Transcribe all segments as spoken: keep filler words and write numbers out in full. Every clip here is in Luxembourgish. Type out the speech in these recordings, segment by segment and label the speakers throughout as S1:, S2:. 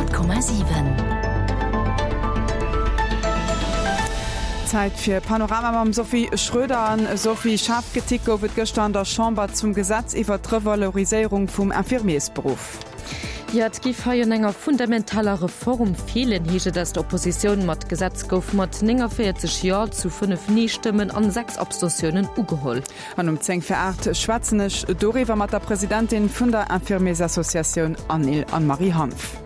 S1: Honnert Komma siwen.
S2: Zäit fir Panorama mam Sophie Schröder. An Sophie, schaarf Kritik gouf et gëschter an der Chamber zum Gesetz iwwer d'Revaloriséierung vum Infirmiersberuff.
S3: Jo, et géif hei un enger fundamentaler Reform feelen, heescht et aus der Oppositioun. Ma d'Gesetz gouf mat nénganvéierzeg Jo zu fënnef Nee-Stëmmen an sechs Abstentiounen ugeholl.
S2: An um zéng vir aacht schwätzen ech doriwwer mat der Presidentin vun der Infirmiersassociatioun ANIL, Anne-Marie Hanff.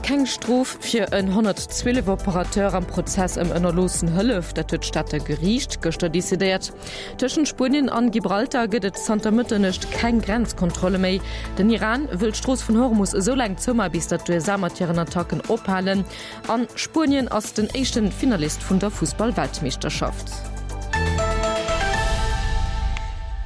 S3: Keng Strof fir en honnertzwielef Operateur am Prozess ëm ënnerloossen Hëllef, dat huet d'Stater Geriicht gëschter decidéiert. Tëschent Spuenien an Gibraltar gëtt et zanter Mëtternuecht keng Grenzkontrolle méi. Den Iran wëll d'Strooss vun Hormus esou laang zoumae bis datt d'USA mat hiren Attacken ophalen. An Spuenien ass den éischten Finalist vun der Fussball-Weltmeeschterschaft.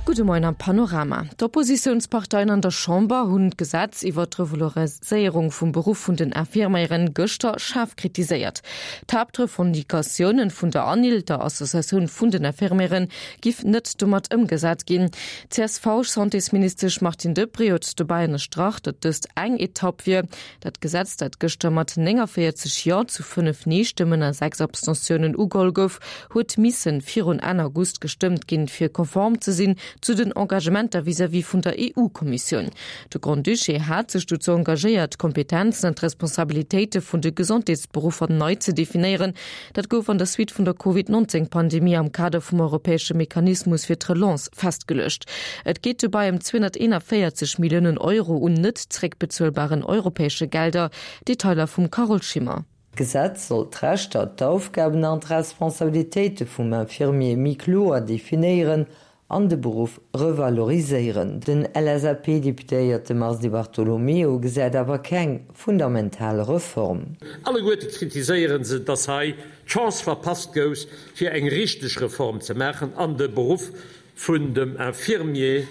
S3: Gudde Moien am Panorama. D'Oppositiounsparteien an der Chamber hunn d'Gesetz iwwer d'Revaloriséierung vum Beruff vun den Infirméieren gëschter schaarf kritiséiert. D'Haaptrevendicatiounen vun der ANIL, der Associatioun vun den Infirméieren, giff net domat ëmgesat ginn. D'CSV-Santésministesch Martine Deprez huet dobäi ënnerstrach, datt dëst eng Etapp wier. Dat Gesetz, dat gëschter mat nénganvéierzeg Jo zu fënnef Nee-Stëmmen a sechs Abstentiounen ugeholl gouf, huet missen virun Enn August gestëmmt ginn, fir konform ze sinn zu den Engagementer vis-à-vis vun der E U-Kommissioun. De Grand-Duché hat sech dozou engagéiert, d'Kompetenzen an d'Responsabilitéite vun de Gesondheetsberuffer nei ze definéieren. Dat gouf an der Suite vun der Covid nonzéng Pandemie am Kader vum europäesche Mechanismus fir d'Relance festgeluecht. Et geet dobäi ëm zweehonnerteenanvéierzeg Milliounen Euro un net zeréckbezuelbaren europäesche Gelder. Detailer vum Carole Schimmer.
S4: D'Gesetz soll d'Rechter, d'Aufgaben an d'Responsabilitéite vum Infirmier méi kloer definéieren an de Beruff revaloriséieren. Den L S A P-Deputéierte Mars Di Bartolomeo gesäit awer keng fundamental Reform.
S5: Alleguerte kritiséiere se, dass hei d'Chance verpasst gouf, fir eng richteg Reform ze maachen an de Beruff vun dem Infirmier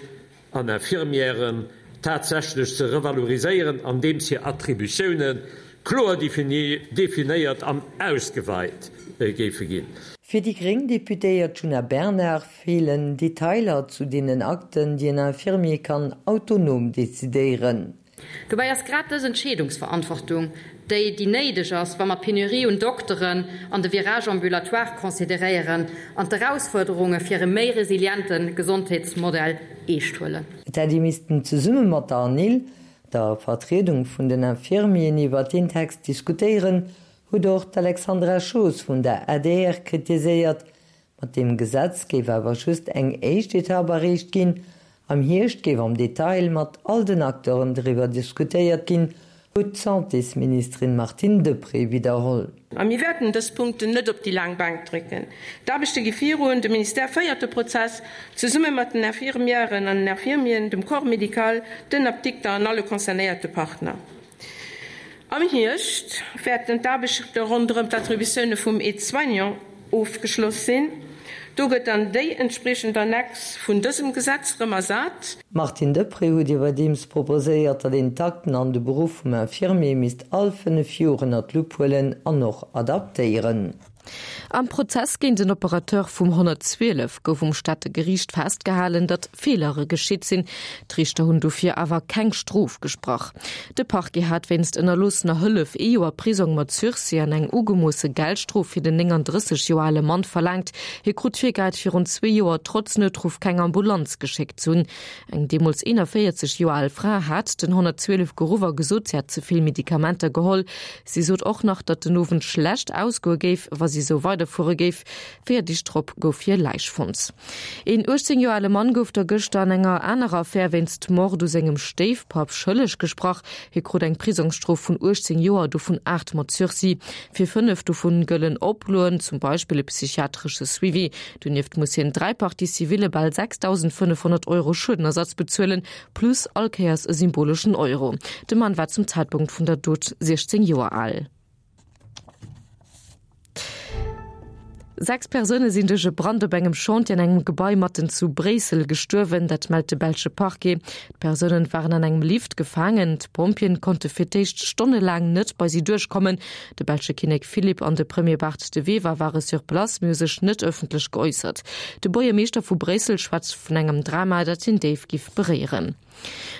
S5: an Infirmièren tatsächlech ze revaloriséieren, andeems hir Attributioune kloer definéiert an ausgeweit géife ginn.
S4: Fir déi gréng Deputéiert Djuna Bernard feelen Detailer zu deenen Akten, déi en Infirmier kann autonom decidéieren.
S6: Dobäi ass grad dës Entscheedungsverantwortung déi, déi néideg ass, wa mer d'Penurie un Dokteren an de Virage ambulatoire consideréieren an d'Erausfuerderunge fir e méi resiliente Gesondheetsmodell eescht huelen.
S4: Et hätt ee missten zesumme mat der ANIL, der Vertriedung vun den Infirmieren, iwwer deen Text diskutéieren, huet och d'Alexandra Schoos vun der A D R kritiséiert. Mat deem Gesetz géif awer just eng éischt Etapp erreecht ginn. Am Hierscht géif am Detail mat all den Acteuren driwwer diskutéiert ginn, huet d'Santésministerin Martine Deprez widderholl.
S7: A mir wäerten dës Punkten net op déi laang Bänk drécken. D'Aarbechte gi virun, de Ministère féiert de Prozess, zesumme mat den Infirmièren an den Infirmieren, dem Corps médical, den Apdikter an alle concernéierte Partner. Am Hierscht wäerten d'Aarbechte ronderëm d'Attributioune vum Aide-soignant ofgeschloss sinn. Do gëtt dann déi entspriechend Annex vun dësem Gesetz erëm ersat.
S4: D'Martine Deprez huet iwwerdeems proposéiert, datt een d'Akten an de Beruff vum Infirmier misst all fënnef Joer ënner d'Lupp huelen an och adaptéieren.
S3: Am Prozess géint den Operateur vum honnertzwielef gouf um Stater Geriicht festgehalen, datt Feelere geschitt sinn. D'Riichter hunn dofir awer keng Strof gesprach. De Parquet hat wéinst ënnerloossener Hëllef ee Joer Prisong mat Sursis an eng ugemoosse Geldstrof fir den nénganddrësseg Joer ale Mann verlaangt. Hie krut virgehäit, virun zwee Joer trotz Noutruff keng Ambulanz geschéckt ze hunn. Eng deemools eenanvéierzeg Joer al Fra hat den honnertzwielef geruff a gesot, si hätt ze vill Medikamenter geholl. Si sot och nach, datt den Owend schlecht ausgoe géif, wa si sou weiderfuere géif. Véier Deeg drop gouf hir Läich fonnt. Een uechtzéng Joer ale Mann gouf da gëschter an enger anerer Affär wéinst Mord u sengem Stéifpapp schëlleg gesprach. Hie krut eng Prisongsstrof vun uechtzéng Joer, dovun aacht mat Sursis. Fir fënnef dovun gëllen Oploen, zum Beispill e psychiatresche Suivi. Donieft muss hien dräi Parties civile bal sechsdausendfënnefhonnert Euro Schuedenersatz bezuelen, plus all Kéiers e symboleschen Euro. De Mann war zum Zäitpunkt vun der Dot siechzéng Joer al. Sechs Persoune sinn duerch e Brand op engem Chantier an engem Gebai matten zu Bréissel gestuerwen, dat mellt de belsche Parquet. D'Persounen waren an engem Lift gefaangen. D'Pompjeeën konnte fir d'éischt stonnelaang net bei si duerchkommen. De belsche Kinnek Philippe an de Premier Bart De Wever ware sur place, mee hu sech net ëffentlech geäussert. De Buergermeeschter vu Bréissel schwätzt vun engem Drama, dat hien déif giff beréieren.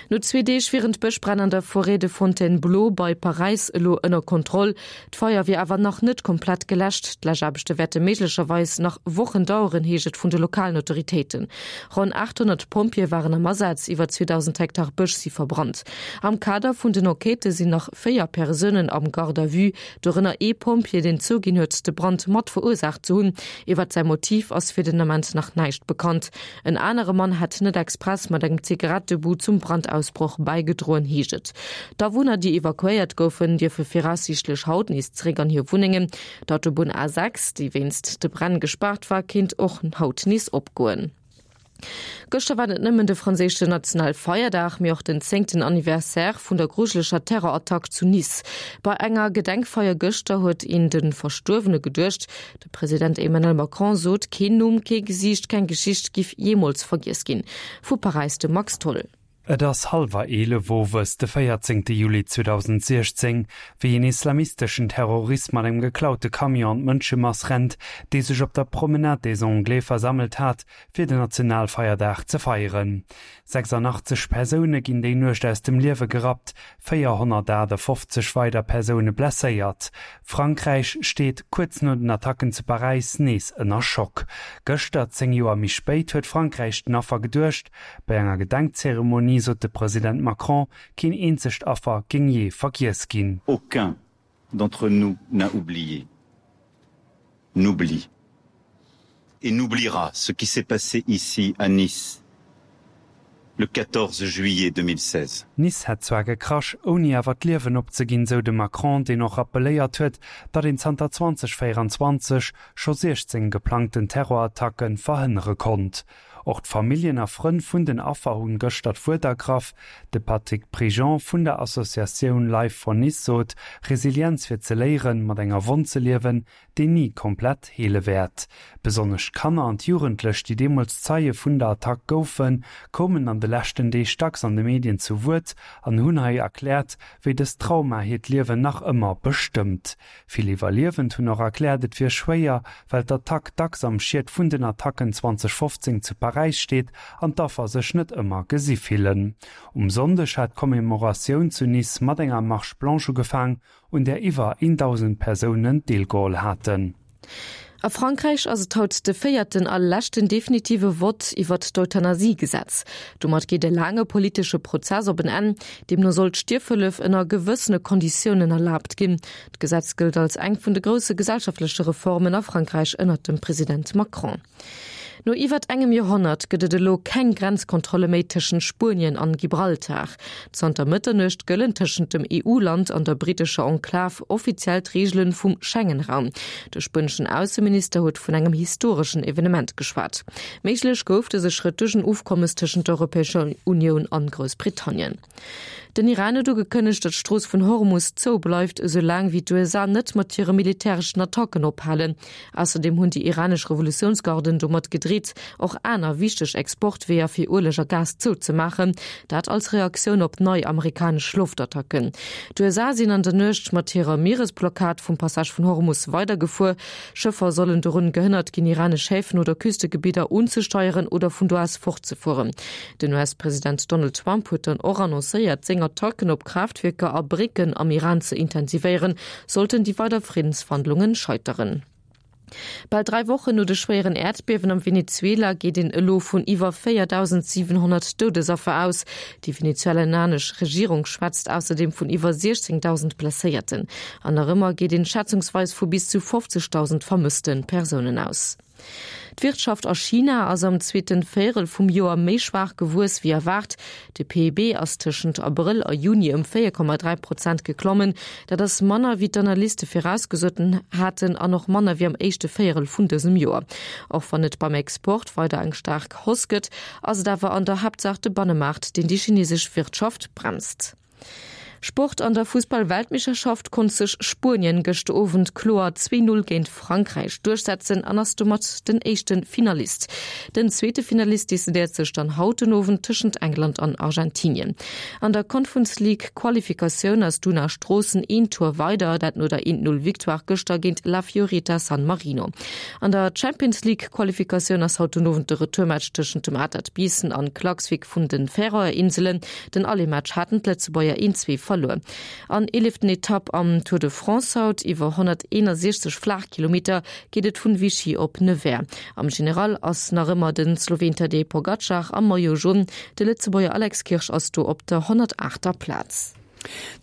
S3: No zwee Deeg wieren d'Bëschbränn an der Forêt de Fontainebleau bei Paräis elo ënner Kontroll. D'Feier wier awer nach net komplett geläscht. D'Läschaarbechte wäerte méiglecherweis nach Wochen daueren, heescht et vun de lokalen Autoritéiten. Ronn achthonnert Pompjeeë waren am Asaz, iwwer zweedausend Hektar Bësch si verbrannt. Am Kader vun den Enquêtë sinn nach véier Persounen am Garde à vue, dorënner ee Pompjee, deen zouginn huet, de Brand mat verursaacht ze hunn. Iwwert säi Motiv ass fir den Ament nach näischt bekannt. En anere Mann hätt net express mat engem Zigarettebut zum Brandausbroch bäigedroen, heescht et. D'Awunner, déi evakuéiert goufen, dierfe viraussiichtlech haut nees zeréck an hir Wunnengen. D'Autobunn A sechs, déi wéinst de Bränn gespaart war, kéint och haut nees opgoen. Gëschter war net nëmmen de franséischen Nationalfeierdag, mee och den zéngten Anniversaire vun der grujeleger Terrorattack zu Nice. Bei enger Gedenkfeier gëschter huet een de Verstuerwene geduecht. De President Emmanuel Macron sot, keen Numm, kee Gesiicht, keng Geschicht giff jeemools vergiess ginn. Vu Paräis de Max Tholl.
S1: Et ass hallwer eelef owes de véierzéngte Juli zweedausentsiechzéng, wéi een islamisteschen Terrorist mat engem geklaute Camion an d'Mënschemass rennt, déi sech op der Promenade des Anglais versammelt hat, fir den Nationalfeierdag ze feieren. sechsundachtzeg Persoune ginn déi Nuecht aus dem Liewe gerappt, véierhonnertachtefofzeg weider Persoune blesséiert. Frankräich steet kuerz no den Attacken zu Paräis nees ënner Schock. Gëschter, zéng Joer méi spéit, huet Frankräich den Affer geduecht. Bei enger Gedenkzeremonie sot de President Macron, keen eenzegt Affer géing jee vergiess ginn.
S8: Aucun d'entre nous n'a oublié, n'oublie et n'oubliera ce qui s'est passé ici à Nice le quatorze juillet deux mille seize.
S1: Nice hätt zwar gekrasch, ouni awer d'Liewen opzeginn, sou de Macron, deen och rappelléiert huet, datt een zanter zwanzeg véierundzwanzeg scho siechzéng geplangten Terrorattacke verhënnere konnt. Och d'Familljen a Frënn vun den Affer hunn gëschter d'Wuert ergraff. De Patrick Prigent vun der Associatioun Life for Nice sot, Resilienz wier ze léieren, mat enger Wonn ze liewen, déi ni komplett heele wäert. Besonnesch d'Kanner an d'Jugendlech, déi deemools Zeie vun der Attack goufen, koumen an de leschten Deeg dacks an de Medien zu Wuert an hunn hei erkläert, wéi dëst Trauma hiert Liewen nach ëmmer bestëmmt. Vill Iwwerliewend hunn och erkläert, et wier schwéier, well d'Attack dacks am Schiet vun den Attacken zweedausendfofzéng zu Paräis steet an d'Affer sech net ëmmer gesi fillen. Um Sonndeg hat d'Commemoratioun zu Nice mat enger Marche blanche ugefaang, un där iwwer een Dausend Persounen deelgeholl haten.
S3: A Frankräich ass et haut de véierten a leschten definitive Vott iwwert d'Euthanasie-Gesetz. Domat geet e laange politesche Prozess op en Enn. Deemno soll d'Stierfhëllef ënner gewëssene Konditiounen erlaabt ginn. D'Gesetz gëllt als eng vun de grousse gesellschaftleche Reformen a Frankräich ënnert dem President Macron. No iwwert engem Joerhonnert gëtt et elo keng Grenzkontrolle méi tëschent Spuenien an Gibraltar. Zanter Mëtternuecht gëllen tëschent dem E U-Land an der brittescher Enklav offiziell d'Reegele vum Schengen-Raum. De spueneschen Ausseminister huet vun engem historeschen Evenement geschwat. Méiglech gouf dëse Schrëtt duerch en Ofkommes tëschent der Europäescher Unioun an Groussbritannien. Den Iran huet ugekënnegt, datt d'Strooss vun Hormus zou bleift, esou laang wéi d'U S A net mat hire militäreschen Attacken ophalen. Ausserdeem hunn déi iranesch Revolutiounsgarden domat gedreet, och aner wichteg Exportweeër fir Ueleg a Gas zouzemaachen, dat als Reaktioun op nei amerikanesch Loftattacken. D'U S A sinn an der Nuecht mat hirer Mieresblockad vum Passage vun Hormus weidergefuer. Schëffer sollen dorun gehënnert ginn, iranesch Häfen oder Küstegebidder unzesteieren oder vun do aus fortzefueren. Den U S-President Donald Trump huet dann och annoncéiert, seng Attacken op Kraaftwierker a Brécken am Iran ze intensivéieren, sollten déi weider Friddensverhandlungen scheiteren. Bal dräi Wochen no de schwéieren Äerdbiewen am Venezuela geet een elo vun iwwer véierdausendsiwenhonnert Doudesaffer aus. Déi venezuelanesch Regierung schwätzt ausserdeem vun iwwer siechzéngdausend Blesséierten. An nach ëmmer geet een schätzungsweis vu bis zu fofzegdausend vermësste Persounen aus. D'Wirtschaft a China ass am zweete Véierel vum Joer méi schwaach gewuess wéi erwaart. De P I B ass tëschent Abrëll a Juni ëm véier Komma dräi Prozent geklommen. Dat ass manner wéi d'Analyste virausgesot haten an och manner wéi am éischte Véierel vun dësem Joer. Och wann et beim Export weider eng staark Hausse gëtt, ass et awer an der Haaptsaach de Bannemaart, deen déi chinesesch Wirtschaft bremst. Sport An der Fussball-Weltmeeschterschaft konnt sech Spuenien gëschter Owend kloer zwee Null géint Frankräich duerchsetzen an ass domat den éischte Finalist. Den zweete Finalist decidéiert sech dann haut den Owend tëschent England an Argentinien. An der Conference League Qualifikatioun ass Duna Stroossen een Tour weider, dat no der eent Null Victoire gëschter géint La Fiorita San Marino. An der Champions League Qualifikatioun ass haut den Owend de Retourmatch tëschent dem Atert Biissen an Klaksvik vun den Färöer Inselen. Den Aller-Match haten d'Lëtzebuerger een zwee verluer. An eeleften Etapp am Tour de France haut, iwwer honnerteenasechzeg Flaachkilometer geet et vun Vichy op Nevers. Am General ass nach ëmmer den Sloween Tadej Pogacar am Maillot Jaune, de Lëtzebuerger Alex Kirsch ass do op der honnertaachter Plaz.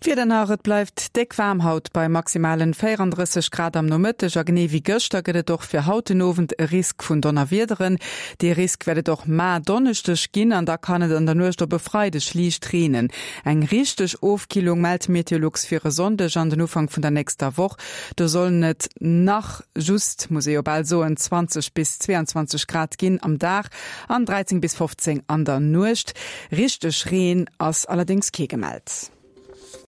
S2: D'Wieder nach, Et bleift déck waarm haut bei maximalen véierandrësseg Grad am Nomëtteg a genee wéi gëschter gëtt et och fir haut den Owend e Risk vun Donnerwiederen. Dee Risk wäert et och mar Donneschdeg ginn an da kann et an der Nuecht op e Freideg liicht reenen. Eng richteg Ofkillung mellt Meteolux fir e Sonndeg an den Ufank vun der nächster Woch. Do sollen et nach just, muss ee jo bal soen, zwanzeg bis zweeanzwanzeg Grad ginn am Dag an dräizéng bis fofzéng an der Nuecht. Richteg Reen ass allerdéngs kee gemellt.